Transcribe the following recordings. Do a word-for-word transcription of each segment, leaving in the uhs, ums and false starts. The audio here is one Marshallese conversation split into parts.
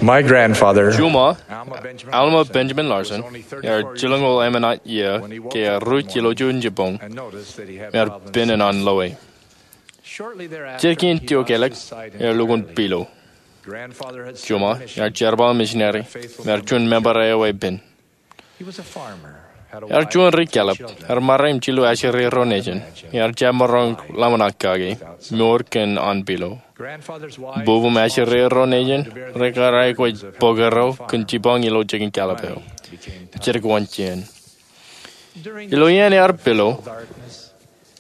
My grandfather, Juṃae, Alma Benjamin Larsen, ear jilñoul emān iiō ke ear ruj ilo juon jibboñ im ear pen in an loe. Jidik in tok ālikin, ear lukkuun pilo. Juṃae ear jerbal misineri im ear juon member eo epen. Ear juon ri kallib, ear ṃare im jilu ajri ro nejin, ear jab maroñ ḷōmṇak kake, mour kōn an pilo. Bub im ajri ro nejin rekar aikuj bōk erro kōn jibboñ ilo jikin kallib eo. Jidik wōn jān. Ilo iien ear pilo,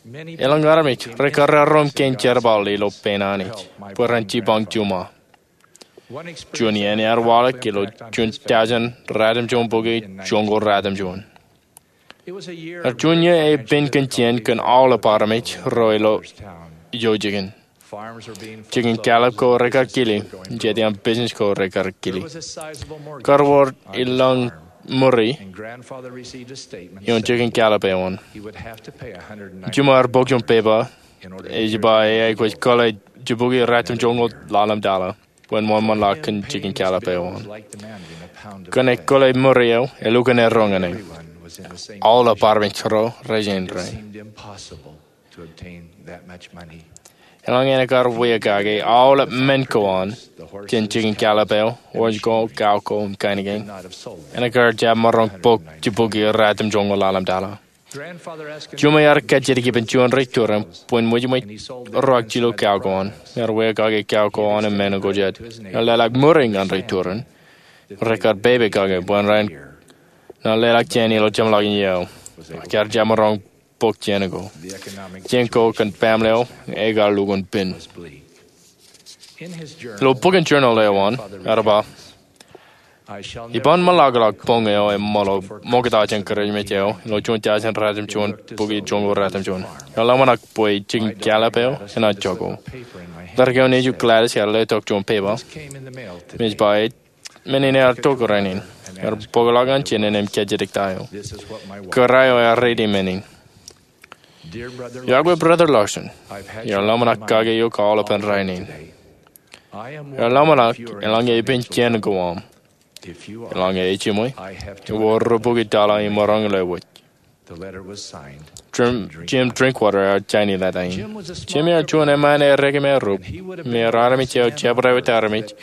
elōñ armej rekar erom kein jerbal ilo pein Anij bwe ren jibboñ Juṃae. Juon iien ear waḷọk ilo juon tọujin ratimjuon bukwi joñoul ratimjuon. Ear juon iiō epen kōn jān kōn aolep armej ro ilo ijo jikin. Jikin kallib ko rekar kili, jet iaan business ko rekar kili. Kar wōr elōñ ṃuri ioon jikin kallib eo an. Juṃae ear bōk juon pepa ej ba e aikuj kōḷḷe jibukwi ratimjuon ḷalem tala bwe en wōnṃaanḷọk kōn jikin kallib eo an. Kōn e kōḷḷe ṃuri eo, elukkuun erro ñan e. Aolep armej ro rej āindein. Eḷaññe en kar wia kake aolep men ko an jān jikin kallib eo, horse ko, cow ko im kain kein, en kar jab maroñ bōk jibukwi ratimjuon ḷalem tala. Juṃae ear kajjitōk ippān juon ri turin bwe en ṃwijṃwij ro ak jilu cow ko an. Ear wia kake cow ko an im men ko jet. Ear leḷọk ṃuri ñan ri turin. Rekar pepe kake bwe ren leḷọk jān ilo jeṃḷọkin iiō. Ak ear jab maroñ bōk jān ko. Jān ko kōn baaṃle eo ekar lukkuun pen. Ilo bok in journal eo an, ear ba, iban ṃōḷakḷọk boñ eo eṃṃan ṃokta jān Kūrijṃōj eo ilo juon tọujin ratimjuon bukwi joñoul ratimjuon. Ear ḷōmṇak bwe jikin kallib eo enaaj jako. Ledik eo nejū Gladys ear letok juon pepa im ej ba, men in ear tok rainin. Ear bōkḷọk ñan jinen im kajjitōk ta eo. Kōrā eo ear riiti men in. Iọkwe Brother Larsen, iar ḷōmṇak kake eok aolepān rainin. Iar ḷōmṇak eḷaññe epen jān ko aṃ. Eḷaññe ejiṃwe, ewōr ri bukwi tala imaroñ ḷeo wōj. Jim, Jim Drinkwater ear jaini leta in. Jim ear juon eṃṃaan erik im erup, im ear armej eo jabdewōt armej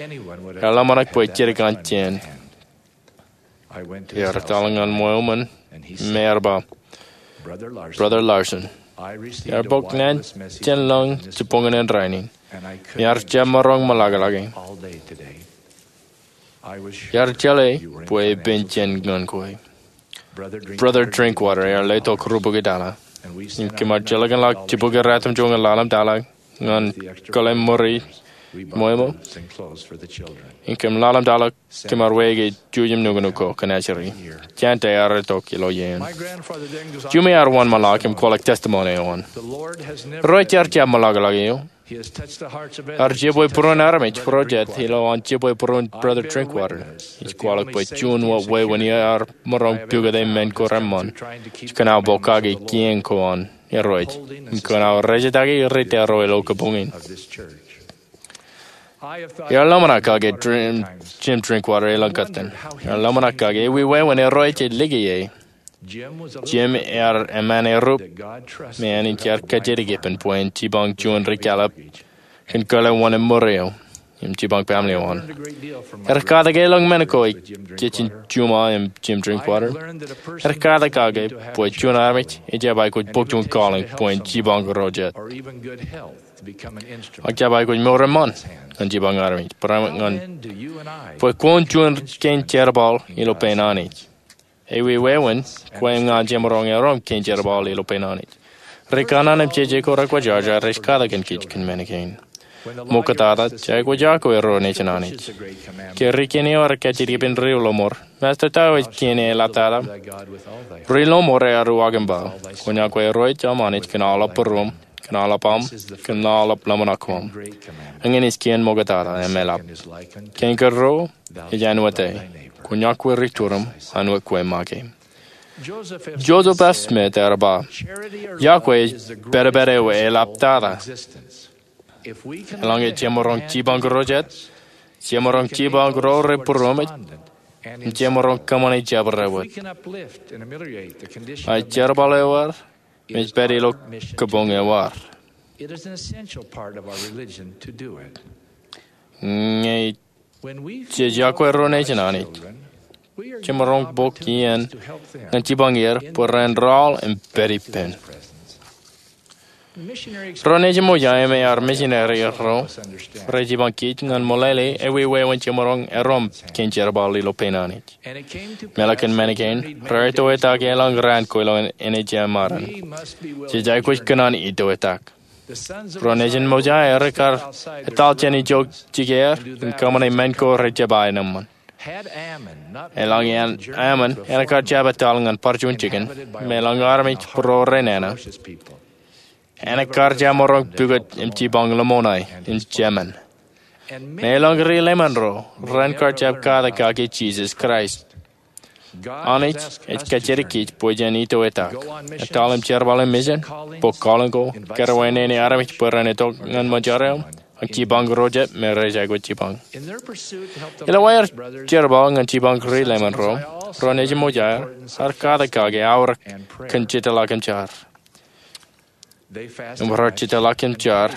ear ḷōmṇak bwe jidik an jān. Ear etal ñan ṃweo ṃōn im ear ba, Brother Larsen, iar bōk naan jān lōñ jibboñōn in rainin, im iar jab maroñ ṃōḷakḷọk e. Iar jeḷā bwe epen jān ñan kwe. Brother Drinkwater ear letok ri bukwi tala. Im kōm ar jilkinḷọk jibukwi ratimjuon ḷalem tala ñan kōḷḷe ṃuri ṃweo. Im kōm ḷalem tala kōm ar wāween jujem nuknuk ko kōn ajri. Jān ta ear itok ilo iien. Jim ear wōnṃaanḷọk im kwaḷọk testimony eo an. Irooj ear jab ṃōḷakḷọk eō. Ear jibwe būruon armej ro jet ilo an jibwe būruon Brother Drinkwater. Ij kwaḷọk bwe juon wōt wāween ear maroñ pukot men ko reṃṃan. Ej kōn aō bōk kake kien ko an Irooj. Im kōn aō rejetake ri tōl ro ilo kōpoñ in. Iar ḷōmṇak kake Jim Drinkwater elōñ kōttan. Iar ḷōmṇak kake ewi wāween Irooj ej liki e. Jim ear eṃṃaan erup me Anij ear kajjitōk ippān bwe en jibañ juon ri kallib kōn kōḷḷe wōṇāān ṃuri eo im jibañ baaṃle eo an. Ear katak elōñ men ko ej jejin Juma im Jim Drinkwater. Ear katak kake bwe juon armej ejjab aikuj bōk juon calling bwe en jibañ ro jet. Ak jab aikuj mour eṃṃan ñan jibañ armej. Bwe kwōn juon kein jerbal ilo pein Anij. Ewi wāween kwe im ña jemaroñ erom kein jerbal ilo pein Anij. Ri kanaan im jeje ko rekwōjarjar rej katak kōn kōj kōn men kein. Ṃoktata, jab aikuj yokwe ro nejin Anij. Ke ri kien eo ear kajjitōk ippān ri lọmọọr, Masta, ta eo ej kien eḷaptata? Ri lọmọọr ear uwaak im ba, kwōn yokwe Irooj aṃ Anij kōn aolep būruōṃ, kōn aolep aṃ, kōn aolep ḷōmṇak koṃ. Eñin ej kien ṃoktata im eḷap. Kein kōtro ej āinwōt e, kwōn yokwe ri turuṃ āinwōt kwe make. Joseph F. Smith ear ba, yokwe ej pedped eo eḷaptata. Eḷaññe jemaroñ jibañ ro jet, Jemaroñ jipañ ro rej būroṃōj im jemaroñ kōṃṃane jabdewōt. Ej jerbal eo ad im ej pād ilo kabuñ eo ad. Ñe jej yokwe ro nejin Anij, jemaroñ bōk iien ñan jipañ er bwe ren raoḷ im pād ippān. Ro nejin Mosiah im ear misineri ro rej jipañ kij ñan ṃōḷeḷe āinwōt wāween jemaroñ erom kōn jerbal ilo pein Anij. Meḷeḷe kōn men kein, rej itoitak eḷaññe raan ko ilo āne jemaroñ. Jej aikuj kōṇaan itoitak. Ro nejin Mosiah rej kar etal jān ijo jikier im kōṃṃane men ko rej jab ba enaaj ṃōn. Eḷaññe Ammon en kar jab etal ñan bar juon jikin, im eḷaññe armej būruō ren āne, en kar jab maroñ pukot im jipañ Lamonae im Jemen. Im eḷaññe ri-Leman ro ren kar jab katak kake Jisōs Kraist. Anij ej kajjitōk kij bwe jen itoitak, etal im jerbal im misin, bōk calling ko, kōrā wāween armej bwe ren itok ñan ṃōn jar eo, ak jipañ ro jab me rej aikuj jipañ. Ilo aer jerbal ñan jipañ ri-Leman ro, ro nejin Mosiah ear katak kake aorōk kōn jitōḷọk im jar. Im ro jitōḷọk im jar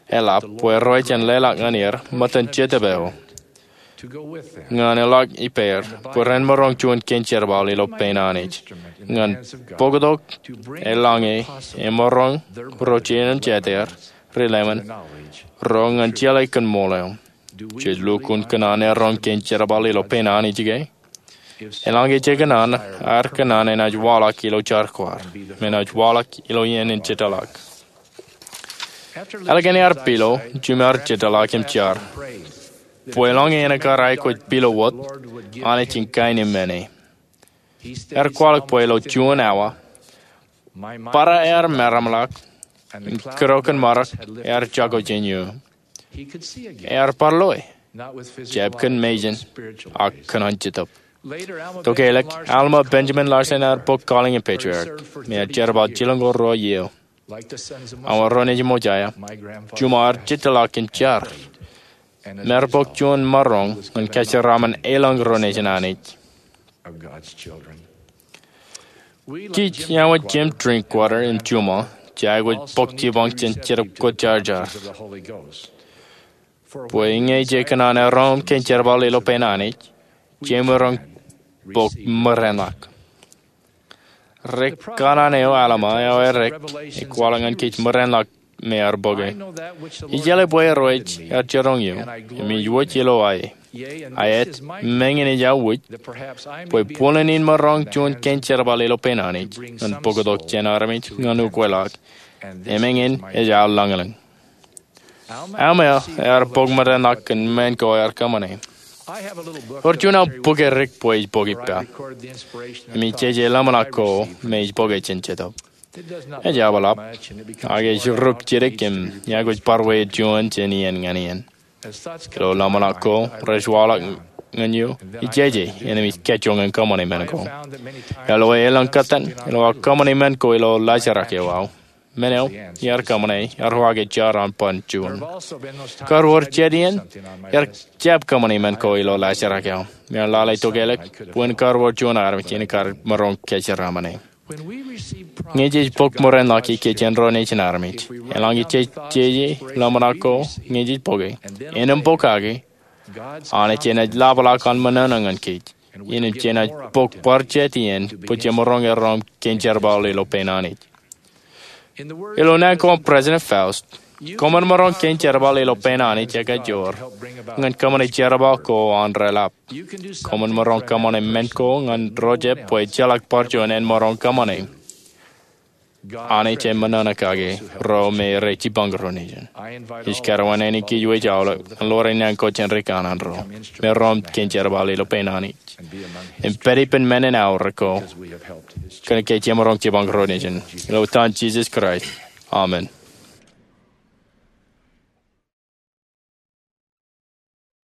eḷap bwe rej jen leḷọk ñan er ṃōttan Jetōb eo ñan eḷọk ippāer bwe ren maroñ juon kōn jerbal ilo pein Anij ñan bōktok eḷaññe emaroñ ro jeiū im jatū ri-Leman ro ñan jeḷā kōn ṃool eo. Jej lukkuun kōṇaan erom kōn jerbal ilo pein Anij ke? Eḷaññe jej kōṇaan, aer kōṇaan enaaj waḷọk ilo jar ko ad im enaaj waḷọk ilo iien in jitōḷọk. Ālikin ear pilo juon jitōḷọk im jar, bwe eḷaññe en kar aikuj pilo wōt, Anij en kain im men e. Ear kwaḷọk bwe ilo juon awa, bōrā ear meramḷọk im kōdọ kōn marok ear jako jān eō. Ear bar loe, jab kōn mejān, ak kōn an Jetōb. Tokālik, Alma Benjamin Larsen ear bōk calling in patriarch im ear jerbal jilñoul ruo iiō. Ak ro nejin Mosiah, juṃae ear jitōḷọk im jar im ear bōk juon maroñ ñan kōjeraaṃṃan eḷaññe ro nejin Anij. Kij āinwōt Jim Drinkwater im juṃae, jej aikuj bōk jipañ jān Jetōb Kwōjarjar. Bwe ñe jej kōṇaan erom kōn jerbal ilo pein Anij, jemaroñ bōk ṃōrāṇḷọk. Ri-kanaan eo Alma eo edik ekwaḷọk ñan kōj ṃōrāṇḷọk me ear bōke. Ij jeḷā bwe Irooj ear jiroñ eō, im ij wōj ilo aō. Aet, meñe ij wōj, bwe bōlen in maroñ juon kōn jerbal ilo pein Anij ñan bōktok jān armej ñan ukweḷọk, im eñin ej aō lañlōñ. Alma ear bōk ṃōrāṇḷọk kōn men ko ear kōṃṃane. Ewōr juon aō bōk edik bwe ij bōk ippa, im ij jeje ḷōmṇak ko me ij bōke jān Jetōb. Ej aō ḷap, ak ej rūp jidik im iar aikuj bar wāween juon jān iien ñan iien. Ilo ḷōmṇak ko rej waḷọk ñan eō, ij jeje, im ij kajjioñ in kōṃṃane men ko. Eḷap eḷaññe kōttan, ilo aō kōṃṃane men ko ilo laajrak eo aō, men eo iar kōṃṃane ear uwaake jar an ban juon. Kar wōr jet iien iar jab kōṃṃane men ko ilo laajrak eo. Im ear lale tokālik bwe en kar wōr juon armej in kar maroñ kōjeraaṃṃane. Ñe jej bōk ṃōrāṇḷọk eo jān ro nejin armej, eḷaññe jej jeje ḷōmṇak ko ñe jej bōke, innām bōk kake, Anij enaaj ḷapḷọk an ṃōṇōṇō ñan kōj. Innām jenaaj bōk bar jet iien bwe jemaroñ erom kōn jerbal ilo pein Anij. Ilo naan ko an President Faust, koṃwin maroñ kōn jerbal ilo pein Anij ekajoor ñan kōṃṃane jerbal ko an reḷap. Koṃwin maroñ kōṃṃane men ko ñan ro jab bwe ejjeḷọk bar juon en maroñ kōṃṃane. Anij eṃōṇōṇō kake ro me rej jipañ ro nejin. Ij kōrā wōt ñan kōj wōj aolep ñan ḷoor naan ko jān ri-kanaan ro me rom kōn jerbal ilo pein Anij im pād ippān men in aorōk ko, kōnke jemaroñ jipañ ro nejin. Ilo etan Jisōs Kraist, amen.